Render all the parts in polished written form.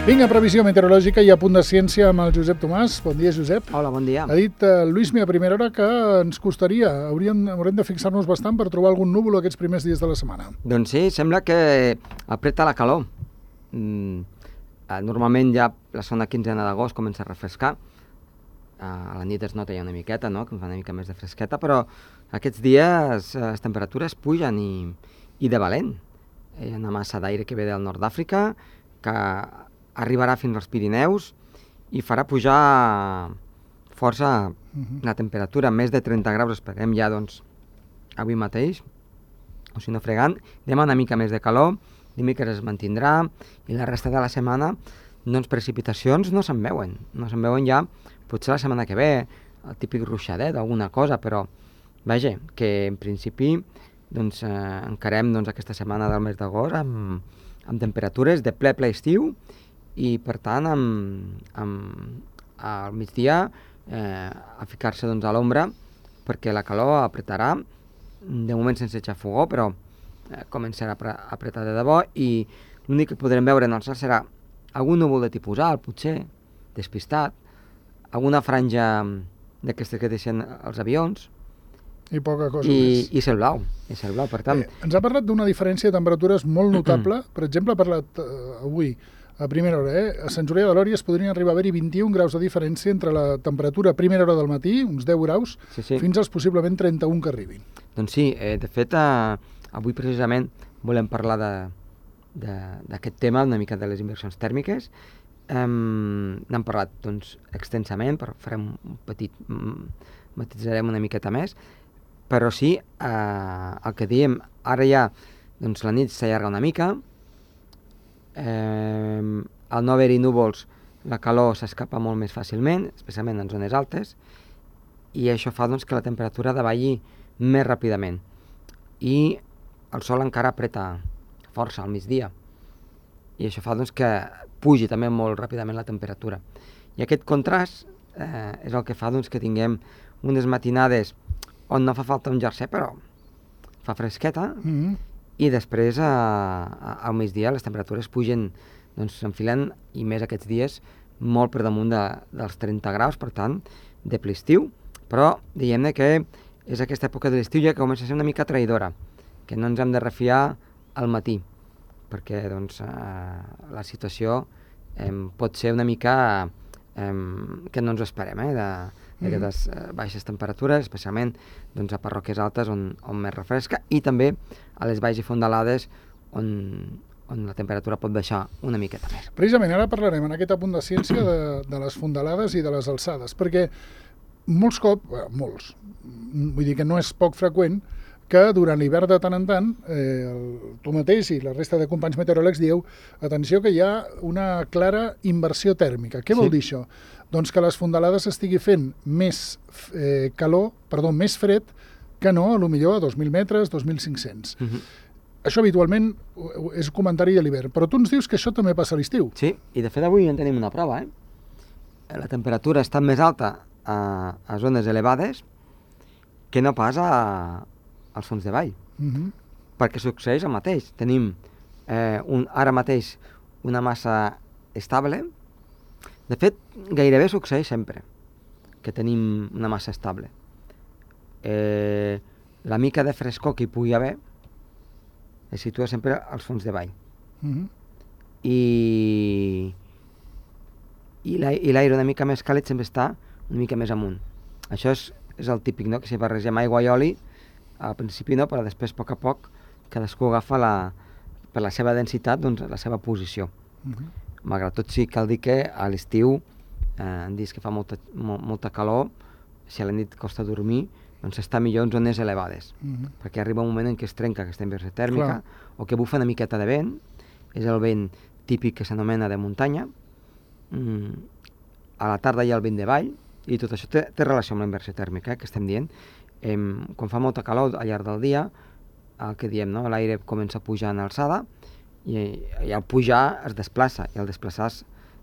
Vinga, previsió meteorològica i a punt de ciència amb el Josep Tomàs. Bon dia, Josep. Hola, bon dia. Ha dit Lluís a primera hora que ens costaria, haurem de fixar-nos bastant per trobar algun núvol aquests primers dies de la setmana. Doncs sí, sembla que apreta la calor. Normalment ja la segona quinzena d'agost comença a refrescar. A la nit es nota ja una miqueta, no? Que fa una mica més de fresqueta, però aquests dies les temperatures pugen i de valent. Hi ha una massa d'aire que ve del nord d'Àfrica, que arribarà fins als Pirineus i farà pujar força la temperatura, més de 30 graus esperem ja doncs avui mateix, o si no fregant, demà una mica més de calor, dimecres es mantindrà i la resta de la setmana doncs precipitacions no se'n veuen ja potser la setmana que ve, el típic ruixadet o alguna cosa, però vaja, que en principi doncs encarem doncs, aquesta setmana del mes d'agost amb temperatures de ple estiu i per tant al migdia a ficar-se doncs, a l'ombra perquè la calor apretarà, de moment sense xafogó, però començarà a apretar de debò i l'únic que podrem veure en el cel serà algun núvol de tipus alt, potser, despistat, alguna franja d'aquestes que deixen els avions, i poca cosa més. I cel blau, per tant. Ens ha parlat d'una diferència de temperatures molt notable. Per exemple, ha parlat avui, a primera hora, a Sant Julià de Lòria es podrien arribar a haver-hi 21 graus de diferència entre la temperatura a primera hora del matí, uns 10 graus, fins als possiblement 31 que arribin. Doncs sí, de fet, avui precisament volem parlar d'aquest tema, una mica de les inversions tèrmiques. N'hem parlat doncs, extensament, però farem un petit... matitzarem una miqueta més, però sí, el que diem, ara ja doncs, la nit s'allarga una mica, al no haver-hi núvols la calor s'escapa molt més fàcilment, especialment en zones altes, i això fa doncs, que la temperatura davalli més ràpidament. I el sol encara apreta força al migdia, i això fa doncs, que pugi també molt ràpidament la temperatura. I aquest contrast és el que fa doncs, que tinguem unes matinades on no fa falta un jersei, però fa fresqueta, i després al migdia les temperatures pugen, doncs s'enfilen, i més aquests dies, molt per damunt dels 30 graus, per tant, de ple estiu, però diguem-ne que és aquesta època de l'estiu ja que comença a ser una mica traïdora, que no ens hem de refiar al matí, perquè doncs, la situació pot ser una mica que no ens ho esperem, d'aquestes baixes temperatures, especialment doncs, a parròquies altes on més refresca, i també a les valls i fondalades on la temperatura pot baixar una miqueta més. Precisament ara parlarem en aquest apunt de ciència de les fondalades i de les alçades, perquè molts, vull dir que no és poc freqüent que durant l'hivern de tant en tant tu mateix i la resta de companys meteoròlegs dieu, atenció que hi ha una clara inversió tèrmica. Què vol dir això? Doncs que les fondalades estigui fent més fred que no, potser a 2.000 metres, 2.500. Això habitualment és un comentari de l'hivern, però tu ens dius que això també passa a l'estiu. Sí, i de fet avui en tenim una prova. La temperatura està més alta a zones elevades que no pas als fons de vall, perquè succeeix el mateix. Tenim ara mateix una massa estable. De fet, gairebé succeeix sempre que tenim una massa estable. La mica de frescor que hi pugui haver es situa sempre als fons de vall. I l'aire una mica més càlid sempre està una mica més amunt. Això és el típic, no? Que si barregem aigua i oli, al principi no, però després, a poc, cadascú agafa per la seva densitat doncs, la seva posició. Malgrat tot sí cal dir que a l'estiu, en dies que fa molta calor, si a la nit costa dormir, doncs està millor en zones elevades, perquè arriba un moment en què es trenca aquesta inversió tèrmica, o que bufa una miqueta de vent, és el vent típic que s'anomena de muntanya, a la tarda hi ha el vent de vall, i tot això té relació amb la inversió tèrmica, que estem dient. Quan fa molta calor al llarg del dia, el que diem, no? L'aire comença a pujar en alçada, i al pujar es desplaça, i al desplaçar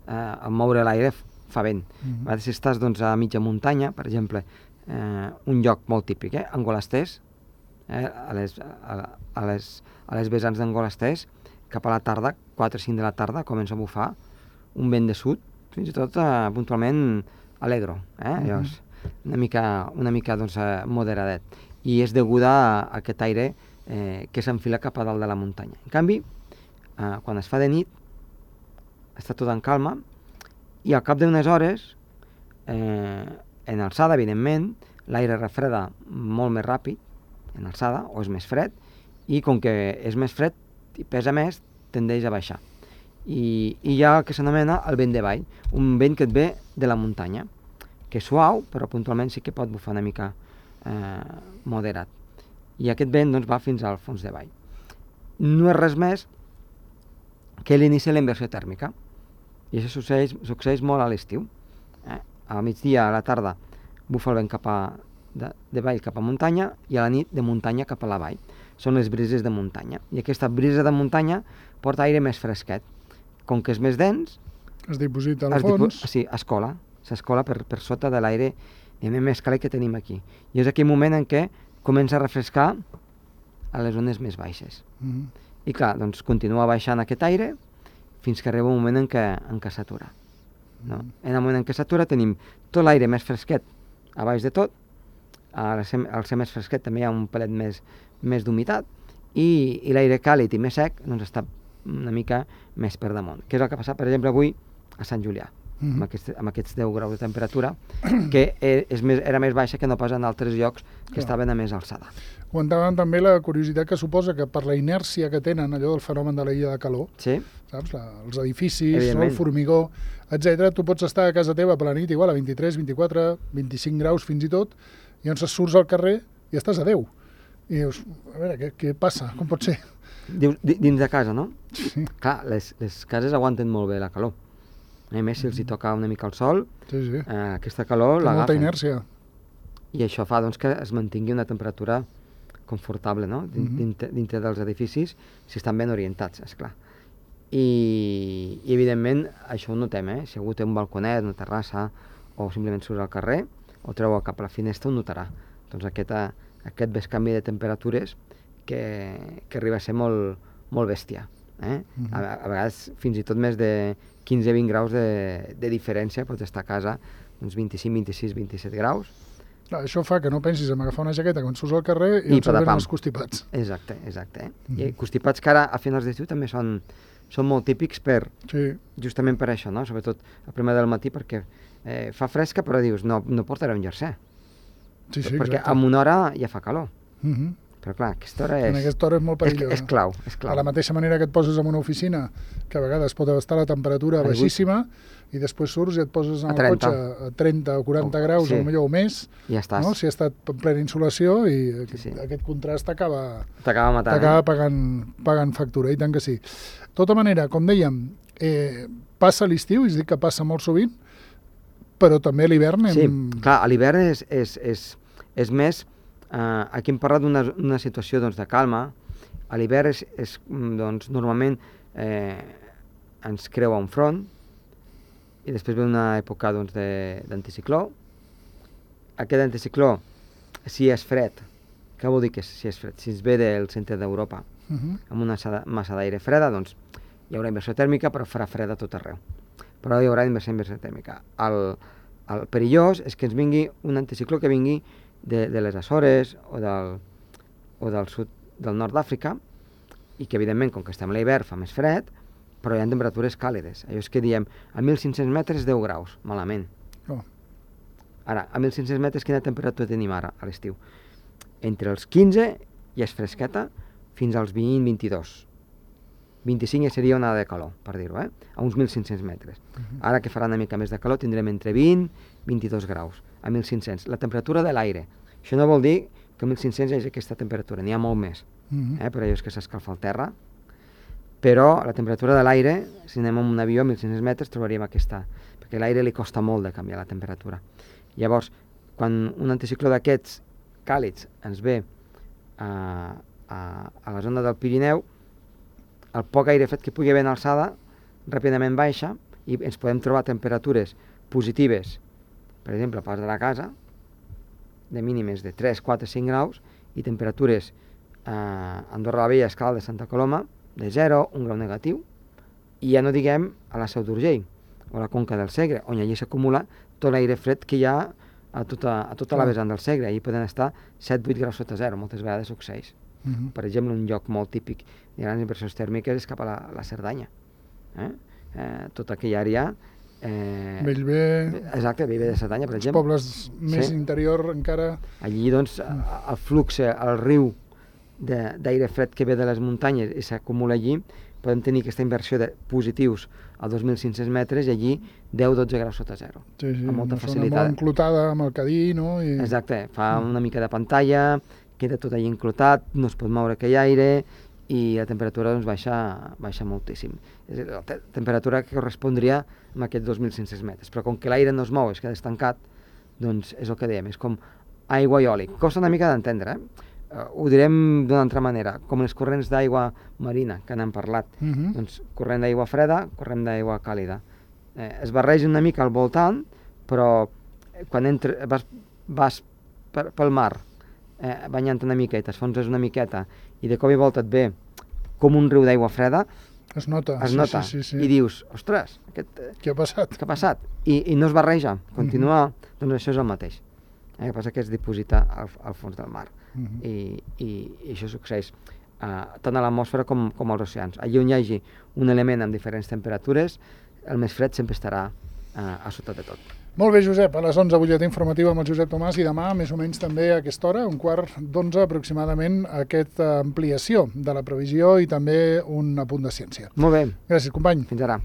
al moure l'aire fa vent. A vegades si estàs doncs, a mitja muntanya, per exemple, un lloc molt típic, Angolasters, a les vessants d'Angolasters, cap a la tarda, 4 o 5 de la tarda, comença a bufar un vent de sud, fins i tot puntualment alegro, allò és una mica doncs, moderadet, i és deguda a aquest aire que s'enfila cap a dalt de la muntanya. En canvi, quan es fa de nit, està tot en calma, i al cap d'unes hores, en alçada, evidentment, l'aire refreda molt més ràpid, en alçada, o és més fred, i com que és més fred i pesa més, tendeix a baixar. I hi ha el que s'anomena el vent de vall, un vent que et ve de la muntanya, que és suau, però puntualment sí que pot bufar una mica moderat. I aquest vent doncs, va fins al fons de vall. No és res més que l'inici de la inversió tèrmica. I això succeeix molt a l'estiu. A migdia, a la tarda, bufa el vent de vall cap a muntanya i a la nit de muntanya cap a la vall. Són les brises de muntanya. I aquesta brisa de muntanya porta aire més fresquet. Com que és més dens... Es diposita al fons. Sí, s'escola per sota de l'aire més càlid que tenim aquí. I és aquell moment en què comença a refrescar a les zones més baixes. I clar, doncs continua baixant aquest aire fins que arriba un moment en què s'atura. No? En el moment en què s'atura tenim tot l'aire més fresquet a baix de tot, al ser més fresquet també hi ha un pelet més d'humitat, i l'aire càlid i més sec doncs està una mica més per damunt. Què és el que ha passat, per exemple, avui a Sant Julià, amb aquests 10 graus de temperatura, que era més baixa que no pas en altres llocs que estaven a més alçada. Comentàvem també la curiositat que suposa que per la inèrcia que tenen, allò del fenomen de la illa de calor, saps? Els edificis, el formigó, etc. Tu pots estar a casa teva per la nit igual a 23, 24, 25 graus fins i tot, i llavors surts al carrer i estàs a 10. I dius, a veure, què passa? Com pot ser? Dins de casa, no? Sí. Clar, les cases aguanten molt bé la calor. A més, si els hi toca una mica el sol, aquesta calor l'agafen. Té molta inèrcia. I això fa doncs, que es mantingui una temperatura confortable, no? Dintre dels edificis, si estan ben orientats, esclar. I evidentment, això ho notem, si algú té un balconet, una terrassa, o simplement surt al carrer, o treu cap a la finestra, ho notarà. Doncs aquest bescanvi de temperatures que arriba a ser molt bèstia. A vegades fins i tot més de 15-20 graus de diferència, pots estar a casa uns 25, 26, 27 graus. Això fa que no pensis en agafar una jaqueta quan surts al carrer i ens venen els constipats. Exacte. I constipats que ara a finals d'estiu també són molt típics justament per això, no? Sobretot a primera del matí, perquè fa fresca però dius no portaré un jersei. Perquè en una hora ja fa calor. Però clar, aquesta hora és molt perillosa. És clau. De la mateixa manera que et poses en una oficina, que a vegades pot estar la temperatura baixíssima, i després surts i et poses en el cotxe a 30 o 40 graus, o més, ja estàs. Si ha estat en plena insolació, i aquest contrast t'acaba pagant factura, i tant que sí. De tota manera, com dèiem, passa l'estiu, és a dir, que passa molt sovint, però també a l'hivern... Sí, clar, a l'hivern és més... Aquí hem parlat d'una situació de calma. A l'hivern normalment ens creua un front i després ve una època d'anticicló. Aquest anticicló, si és fred, què vol dir que si és fred? Si es ve del centre d'Europa amb una massa d'aire freda, doncs hi haurà inversió tèrmica, però farà freda a tot arreu. Però hi haurà inversió tèrmica. El perillós és que ens vingui un anticicló que vingui de les Açores o del sud del nord d'Àfrica, i que evidentment, com que estem a l'hivern, fa més fred, però hi ha temperatures càlides. Allò és que diem, a 1.500 metres 10 graus, malament. Ara, a 1.500 metres quina temperatura tenim ara a l'estiu? Entre els 15, ja és fresqueta, fins als 20-22. 25 ja seria una de calor, per dir-ho, a uns 1.500 metres. Ara que farà una mica més de calor tindrem entre 20 i 22 graus a 1.500. La temperatura de l'aire. Això no vol dir que a 1.500 hi hagi aquesta temperatura, n'hi ha molt més, per allò és que s'escalfa el terra, però la temperatura de l'aire, si anem amb un avió a 1.500 metres trobaríem aquesta, perquè a l'aire li costa molt de canviar la temperatura. Llavors, quan un anticicló d'aquests càlids ens ve a la zona del Pirineu, el poc aire fred que pugui haver en alçada ràpidament baixa i ens podem trobar temperatures positives, per exemple, a pas de la casa, de mínimes de 3, 4, 5 graus, i temperatures a Andorra la Vella, Escaldes, Santa Coloma, de 0, 1 grau negatiu, i ja no diguem a la Seu d'Urgell, o la conca del Segre, on allí s'acumula tot l'aire fred que hi ha a tota la vessant del Segre. Allí poden estar 7-8 graus sota zero, moltes vegades succeeix. Per exemple, un lloc molt típic de grans inversions tèrmiques és cap a la Cerdanya. Tota aquella àrea... Bellver... Exacte, Bellver de Cerdanya, per exemple. Els pobles més interior encara... Allí, doncs, el flux, el riu d'aire fred que ve de les muntanyes i s'acumula allí, podem tenir aquesta inversió de positius a 2.500 metres i allí 10-12 graus sota zero. Sí, amb molta facilitat. Molt enclotada amb el cadí, no? Exacte, fa una mica de pantalla, queda tot allí enclotat, no es pot moure aquell aire i la temperatura doncs, baixa moltíssim. És la temperatura que correspondria a aquests 2.500 metres, però com que l'aire no es mou, es queda estancat, doncs és el que dèiem, és com aigua i oli. Costa una mica d'entendre, ho direm d'una altra manera, com les corrents d'aigua marina, que n'hem parlat. Doncs corrent d'aigua freda, corrent d'aigua càlida. Es barregen una mica al voltant, però quan vas pel mar, banyant una mica i t'esfonses una miqueta, i de cop i volta et ve com un riu d'aigua freda, es nota. Sí. I dius, ostres, què ha passat? Què ha passat? I no es barreja, continua, doncs això és el mateix. El que passa que es diposita al fons del mar. I això succeeix tant a l'atmosfera com als oceans. Allí on hi hagi un element amb diferents temperatures, el més fred sempre estarà a sota de tot. Molt bé, Josep. A les 11, butlletí informatiu amb el Josep Tomàs, i demà, més o menys també a aquesta hora, 11:15 aproximadament, aquesta ampliació de la previsió i també un apunt de ciència. Molt bé. Gràcies, company. Fins ara.